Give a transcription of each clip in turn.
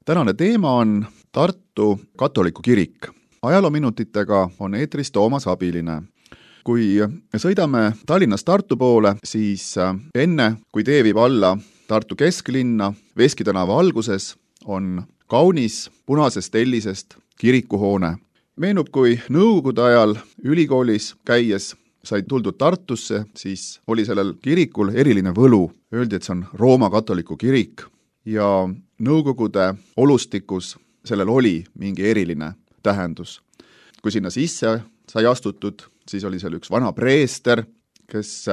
Tänane teema on Tartu katoliku kirik. Ajaloominutitega on eetris Toomas Abiline. Kui sõidame Tallinnast Tartu poole, siis enne, kui tee viib alla Tartu kesklinna, Veski tänava alguses, on kaunis punasest tellisest kirikuhoone. Meenub, kui nõukogude ajal ülikoolis käies sai tuldud Tartusse, siis oli sellel kirikul eriline võlu. Öeldi, et see on Rooma katoliku kirik ja nõukogude olustikus sellel oli mingi eriline tähendus. Kui sinna sisse sai astutud, siis oli seal üks vana preester, kes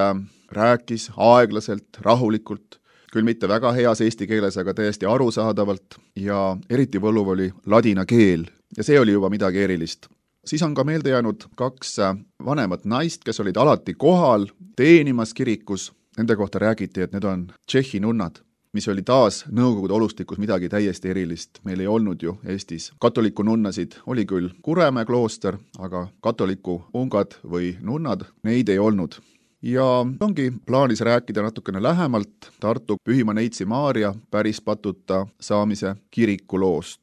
rääkis aeglaselt, rahulikult, küll mitte väga heas eesti keeles, aga täiesti arusaadavalt ja eriti võluv oli ladina keel ja see oli juba midagi erilist. Siis on ka meelde jäänud 2 vanemat naist, kes olid alati kohal teenimas kirikus. Nende kohta räägiti, et need on Tšehhi nunnad, mis oli taas nõukogude olustikus midagi täiesti erilist. Meil ei olnud ju Eestis katoliku nunnasid, oli küll Kuremäe klooster, aga katoliku ungad või nunnad, neid ei olnud. Ja ongi plaanis rääkida natukene lähemalt Tartu Pühima Neitsi Maarja pärispatuta saamise kirikuloost.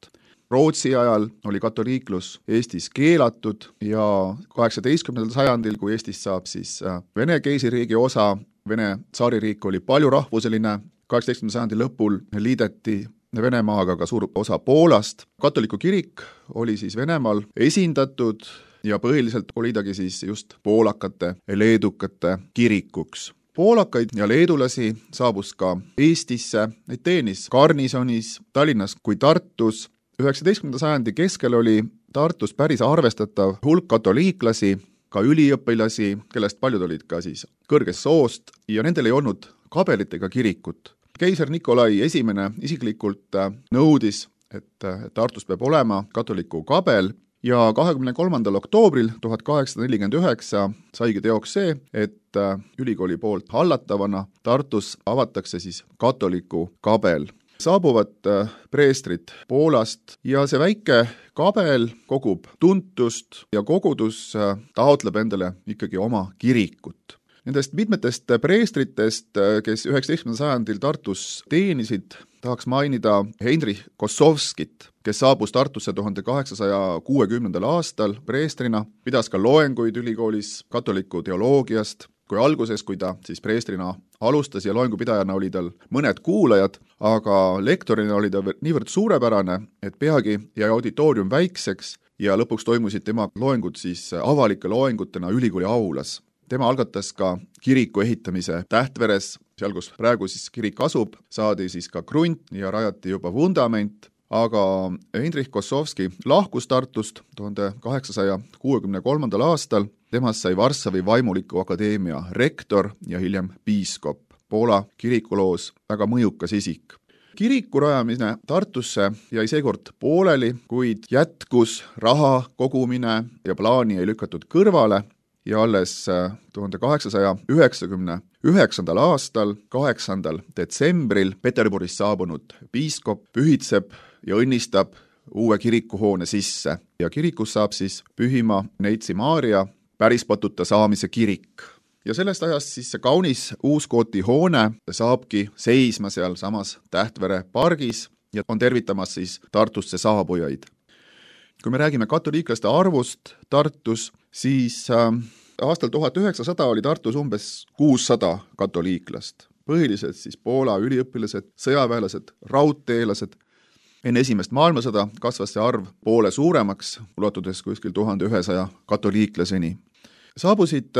Rootsi ajal oli katoliiklus Eestis keelatud ja 18. sajandil, kui Eestis saab siis Vene keisririigi osa, Vene tsaaririik oli palju rahvuseline, 18. sajandi lõpul liideti Venemaaga ka suur osa Poolast. Katoliku kirik oli siis Venemaal esindatud ja põhiliselt oli tagi siis just poolakate ja leedukate kirikuks. Poolakaid ja leedulasi saabus ka Eestisse, neid teenis garnisonis, Tallinnas kui Tartus. 19. sajandi keskel oli Tartus päris arvestatav hulk katoliiklasi, ka üliõpilasi, kellest paljud olid ka siis kõrgest soost ja nendel ei olnud kabelit ega kirikut. Keiser Nikolai I isiklikult nõudis, et Tartus peab olema katoliku kabel ja 23. oktoobril 1849 saigi teoks see, et ülikooli poolt hallatavana Tartus avatakse siis katoliku kabel. Saabuvad preestrid Poolast ja see väike kabel kogub tuntust ja kogudus taotleb endale ikkagi oma kirikut. Nendest mitmetest preestritest, kes 19. sajandil Tartus teenisid, tahaks mainida Heinrich Kossovskit, kes saabus Tartusse 1860. aastal preestrina, pidas ka loenguid ülikoolis katoliku teoloogiast. Kui alguses, kui ta siis preestrina alustas ja loengupidajana oli tal mõned kuulajad, aga lektorina oli ta niivõrd suurepärane, et peagi jäi auditoorium väikseks ja lõpuks toimusid tema loengud siis avalike loengutena ülikooli aulas. Tema algatas ka kiriku ehitamise Tähtveres, seal kus praegu siis kirik asub, saadi siis ka krunt ja rajati juba vundament, aga Heinrich Kossovski lahkus Tartust 1863. aastal. Temast sai Varssavi vaimuliku akadeemia rektor ja hiljem piiskop, Poola kirikuloos väga mõjukas isik. Kiriku rajamine Tartusse jäi seekord pooleli, kuid jätkus raha kogumine ja plaani ei lükatud kõrvale ja alles 1899. aastal, 8. detsembril Peterburist saabunud piiskop pühitseb ja õnnistab uue kirikuhoone sisse ja kirikus saab siis Pühima Neitsi Maarja pärispatuta saamise kirik. Ja sellest ajast siis see kaunis uuskooti hoone saabki seisma seal samas Tähtvere pargis ja on tervitamas siis Tartusse saabujaid. Kui me räägime katoliiklaste arvust Tartus, siis aastal 1900 oli Tartus umbes 600 katoliiklast. Põhiliselt siis Poola üliõpilased, sõjaväelased, raudteelased. Enne esimest maailmasõda kasvas see arv poole suuremaks, ulatudes kuskil 1100 katoliiklaseni. Saabusid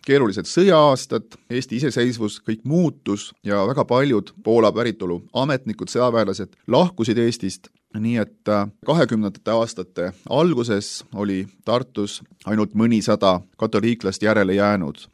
keerulised sõja-aastad, Eesti iseseisvus, kõik muutus ja väga paljud Poola päritolu ametnikud, sõjaväelased lahkusid Eestist, nii et 20. aastate alguses oli Tartus ainult mõnisada katoliiklast järele jäänud.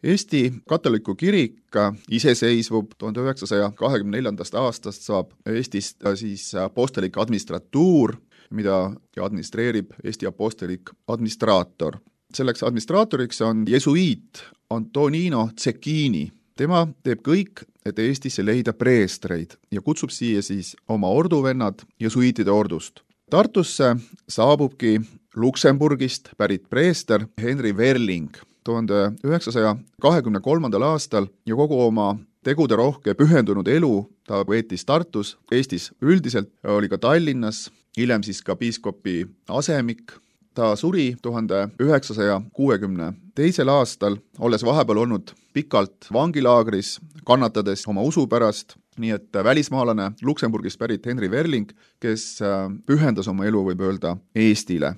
Eesti katoliku kirik iseseisvub 1924. aastast saab Eestist siis apostelik administratuur, mida administreerib Eesti apostelik administraator. Selleks administraatoriks on jesuiit Antonino Cecchini. Tema teeb kõik, et Eestisse leida preestreid ja kutsub siia siis oma orduvennad jesuiitide ordust. Tartusse saabubki Luksemburgist pärit preester Henry Verling 1923. aastal ja kogu oma teguderohke pühendunud elu ta veetis Tartus, Eestis üldiselt, oli ka Tallinnas, hiljem siis ka piiskopi asemik. Ta suri 1962. aastal, olles vahepeal olnud pikalt vangilaagris, kannatades oma usu pärast, nii et välismaalane Luksemburgist pärit Henry Werling, kes pühendas oma elu, võib öelda, Eestile.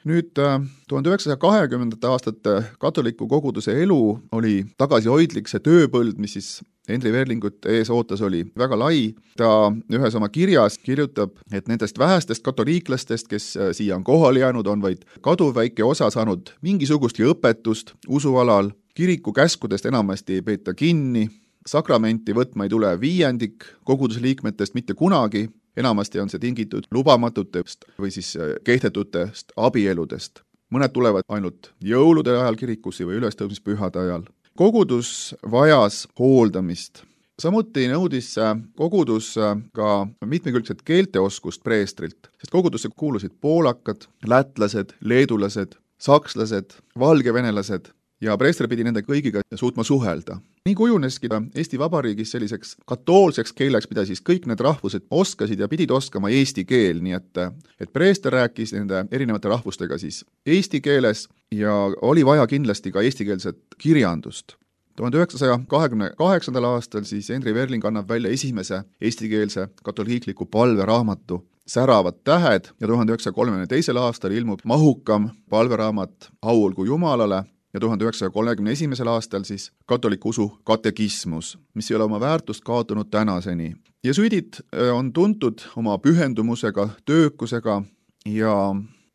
Nüüd 1920. aastate katoliku koguduse elu oli tagasihoidlik, see tööpõld, mis siis Henry Werlingut ees ootas, oli väga lai. Ta ühes oma kirjas kirjutab, et nendest vähestest katoliiklastest, kes siia on kohale jäänud, on vaid kaduvväike osa saanud mingisugustki õpetust usualal, kiriku käskudest enamasti ei peeta kinni, sakramenti võtma ei tule viiendik koguduse liikmetest mitte kunagi, enamasti on see tingitud lubamatutest või siis kehtetutest abieludest. Mõned tulevad ainult jõulude ajal kirikusse või ülestõusmispühade ajal. Kogudus vajas hooldamist. Samuti nõudis kogudus ka mitmekülgset keelteoskust preestrilt, sest kogudusse kuulusid poolakad, lätlased, leedulased, sakslased, valgevenelased ja preester pidi nende kõigiga suutma suhelda. Nii kujuneski Eesti Vabariigis selliseks katoolseks keeleks, mida siis kõik need rahvused oskasid ja pidid oskama eesti keel, nii et preester rääkis nende erinevate rahvustega siis eesti keeles ja oli vaja kindlasti ka eestikeelset kirjandust. 1928. aastal siis Henry Werling annab välja esimese eestikeelse katoliikliku palveraamatu Säravad tähed ja 1932. aastal ilmub mahukam palveraamat Au olgu Jumalale ja 1931. aastal siis katoliku usu katekismus, mis ei ole oma väärtust kaotanud tänaseni. Jesuidid on tuntud oma pühendumusega, töökusega ja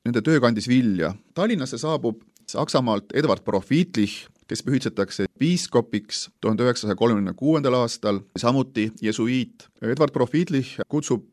nende töö kandis vilja. Tallinnasse saabub Saksamaalt Edward Profitlich, kes pühitsetakse piiskopiks 1936. aastal, samuti jesuiit. Edward Profitlich kutsub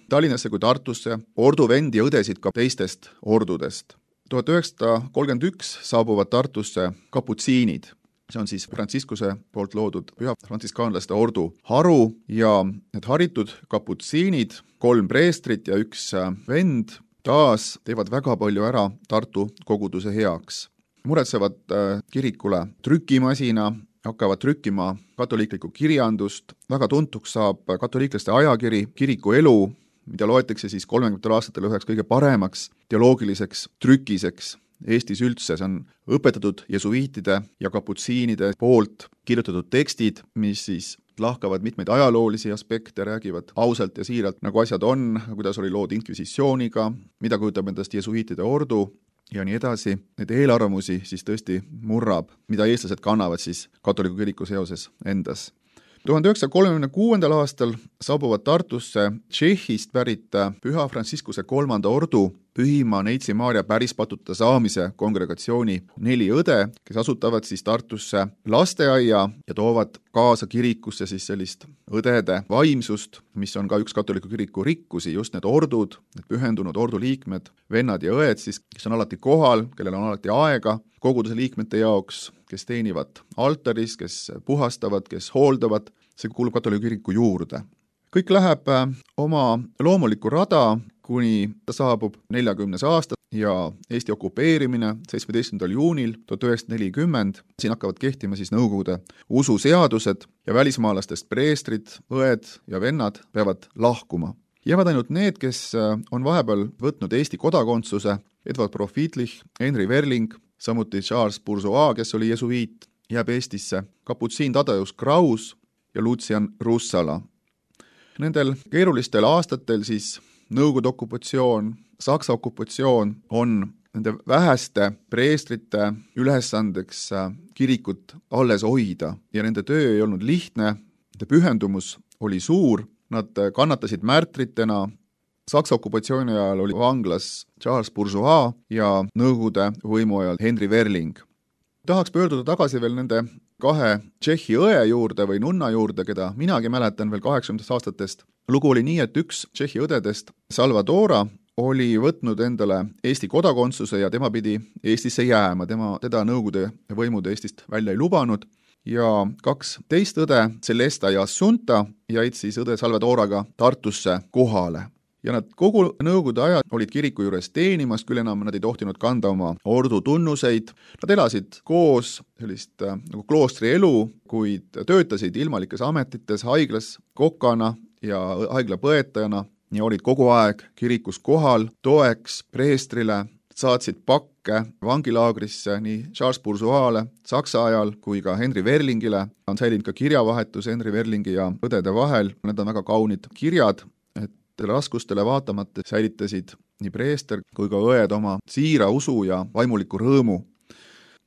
Tallinnasse kui Tartusse orduvendi ja õdesid ka teistest ordudest. 1931 saabuvad Tartusse kaputsiinid. See on siis Franciscuse poolt loodud püha frantsiskaanlaste ordu haru ja need haritud kaputsiinid, 3 preestrit ja 1 vend, taas teevad väga palju ära Tartu koguduse heaks. Muretsevad kirikule trükimasina, hakkavad trükkima katoliiklikku kirjandust, väga tuntuks saab katoliiklaste ajakiri Kiriku elu, mida loetakse siis 30. aastatel üheks kõige paremaks teoloogiliseks trükiseks Eestis üldse. See on õpetatud jesuiitide ja kaputsiinide poolt kirjutatud tekstid, mis siis lahkavad mitmeid ajaloolisi aspekte, räägivad ausalt ja siiralt, nagu asjad on, kuidas oli lood inkvisitsiooniga, mida kujutab endast jesuiitide ordu ja nii edasi. Need eelarvamusi siis tõesti murrab, mida eestlased kannavad siis katoliku kiriku seoses endas. 1936. aastal saabuvad Tartusse Tšehhist pärit püha Franciscuse 3. ordu Pühima Neitsi Maarja pärispatuta saamise kongregatsiooni 4 õde, kes asutavad siis Tartusse lasteaia ja toovad kaasa kirikusse siis sellist õdede vaimsust, mis on ka üks katoliku kiriku rikkusi, just need ordud, need pühendunud ordu liikmed, vennad ja õed siis, kes on alati kohal, kellel on alati aega koguduse liikmete jaoks, kes teenivad altaris, kes puhastavad, kes hooldavad, see kuulub katoliku kiriku juurde. Kõik läheb oma loomulikku rada, kuni ta saabub 40. aasta ja Eesti okupeerimine 17. juunil 1940. Siin hakkavad kehtima siis Nõukogude ususeadused ja välismaalastest preestrid, õed ja vennad peavad lahkuma. Jäävad ainult need, kes on vahepeal võtnud Eesti kodakondsuse, Edward Profitlich, Henry Werling, samuti Charles Bourgeois, kes oli jesuiit, jääb Eestisse, kaputsiin Tadeusz Kraus ja Lucian Russala. Nendel keerulistel aastatel siis Nõukogude okupatsioon, Saksa okupatsioon on nende väheste preestrite ülesandeks kirikut alles hoida ja nende töö ei olnud lihtne, nende pühendumus oli suur, nad kannatasid märtritena. Saksa okupatsiooni ajal oli vanglas Charles Bourgeois ja Nõukogude võimu ajal Henry Werling. Tahaks pöörduda tagasi veel nende 2 Tšehhi õe juurde või nunna juurde, keda minagi mäletan veel 80. aastatest. Lugu oli nii, et üks Tšehhi õdedest, Salvadora, oli võtnud endale Eesti kodakondsuse ja tema pidi Eestisse jääma. Teda Nõukogude võimud Eestist välja ei lubanud ja 2 teist õde, Celesta ja Assunta, jäid siis õde Salvadoraga Tartusse kohale. ja nad kogu nõukogude aja olid kiriku juures teenimas, küll enam nad ei tohtinud kanda oma ordu tunnuseid. Nad elasid koos sellist nagu kloostri elu, kuid töötasid ilmalikes ametites, haiglas kokkana ja haiglapõetajana ja olid kogu aeg kirikus kohal, toeks preestrile, saatsid pakke vangilaagrisse nii Charles Bourgeois'le Saksa ajal kui ka Henry Werlingile. On säilinud ka kirjavahetus Henry Werlingi ja õdede vahel. Need on väga kaunid kirjad, et raskustele vaatamata säilitasid nii preester kui ka õed oma siira usu ja vaimuliku rõõmu.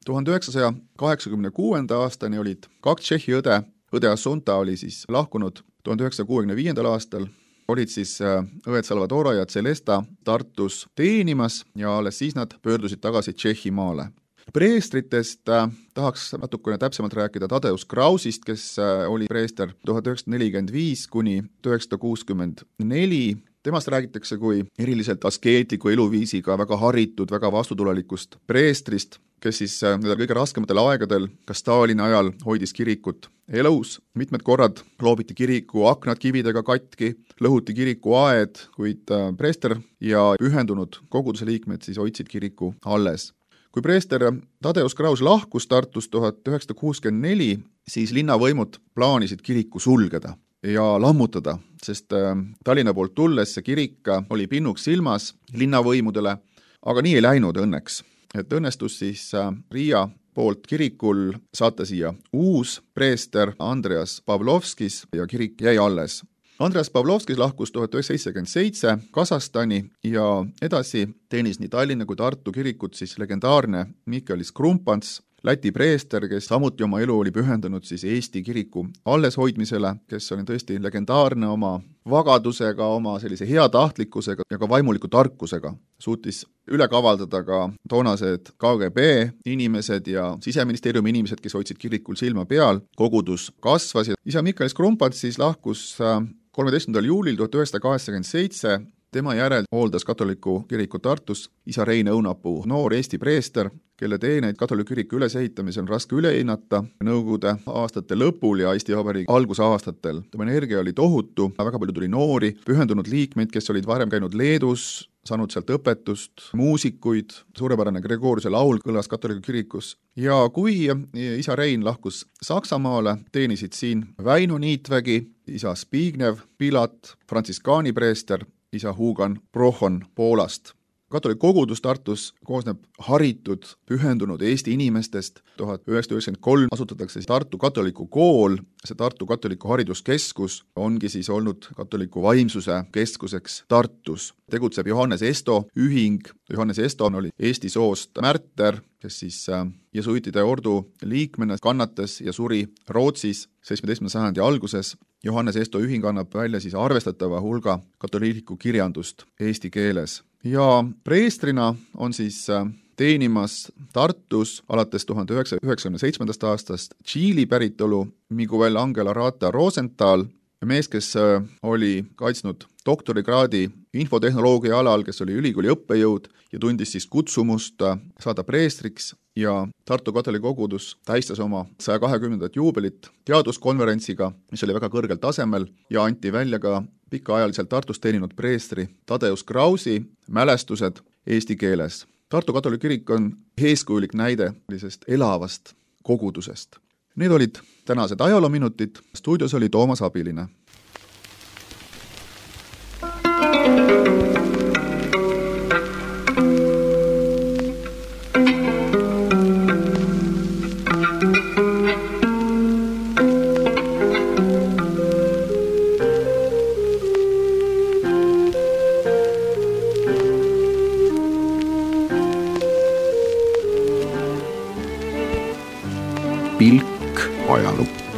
1986. aastani olid 2 Tšehhi õde. Õde Assunta oli siis lahkunud 1965. aastal. Olid siis õed Salvadora ja Celesta Tartus teenimas ja alles siis nad pöördusid tagasi Tšehhimaale. Preestritest tahaks natukene täpsemalt rääkida Tadeusz Krausist, kes oli preester 1945 kuni 1964. Temast räägitakse kui eriliselt askeetliku eluviisiga, väga haritud, väga vastutulelikust preestrist, kes siis nendel kõige raskematel aegadel, ka Stalini ajal hoidis kirikut elus. Mitmed korrad loobiti kiriku aknad kividega katki, lõhuti kiriku aed, kuid preester ja pühendunud koguduse liikmed siis hoidsid kiriku alles. Kui preester Tadeusz Kraus lahkus Tartust 1964, siis linnavõimud plaanisid kiriku sulgeda ja lammutada, sest Tallinna poolt tulles see kirik oli pinnuks silmas linnavõimudele, aga nii ei läinud õnneks. Et õnnestus siis Riia poolt kirikul saata siia uus preester Andreas Pavlovskis ja kirik jäi alles. Andreas Pavlovskis lahkus 1977 Kasahstani ja edasi teenis nii Tallinna kui Tartu kirikut siis legendaarne Mihkelis Krumpants, Läti preester, kes samuti oma elu oli pühendunud siis Eesti kiriku alleshoidmisele, kes oli tõesti legendaarne oma vagadusega, oma sellise heatahtlikkusega ja ka vaimuliku tarkusega. Suutis üle kavaldada ka toonased KGB inimesed ja Siseministeeriumi inimesed, kes hoidsid kirikul silma peal. Kogudus kasvas ja isa Mihkelis Krumpants siis lahkus 13. juulil 1987. Tema järel hooldas katoliku kiriku Tartus isa Rein Õunapuu, noor Eesti preester, kelle teeneid katoliku kiriku ülesehitamisel on raske üle hinnata Nõukogude aastate lõpul ja Eesti Vabariigi algusaastatel. Tema energia oli tohutu, väga palju tuli noori, pühendunud liikmeid, kes olid varem käinud Leedus, saanud sealt õpetust, muusikuid, suurepärane Gregoriuse laul kõlas katoliku kirikus. Ja kui isa Rein lahkus Saksamaale, teenisid siin Väino Niitvägi, isa Zbigniew Pilat, frantsiskaani preester, isa Hugan Prohon Poolast. Katolik kogudus Tartus koosneb haritud, pühendunud Eesti inimestest. 1993 asutatakse Tartu katoliku kool, see Tartu katoliku hariduskeskus ongi siis olnud katoliku vaimsuse keskuseks Tartus. Tegutseb Johannes Esto ühing. Johannes Esto oli Eesti soost märter, kes siis jesuitide ordu liikmena kannatas ja suri Rootsis 17. sajandi alguses. Johannes Esto ühing annab välja siis arvestatava hulga katoliiklikku kirjandust eesti keeles. Ja preestrina on siis teenimas Tartus alates 1997. aastast Tšiili päritolu Miguel Angel Arata Rosenthal, mees, kes oli kaitsnud doktorikraadi infotehnoloogia alal, kes oli ülikooli õppejõud ja tundis siis kutsumust saada preestriks ja Tartu katoliku kogudus tähistas oma 120. juubelit teaduskonverentsiga, mis oli väga kõrgel tasemel ja anti välja ka pikaajaliselt Tartus teeninud preestri Tadeusz Krausi mälestused eesti keeles. Tartu katoliku kirik on eeskujulik näide sellisest elavast kogudusest. Need olid tänased ajaloominutid. Stuudios oli Toomas Abiline. Pilk ajalukku.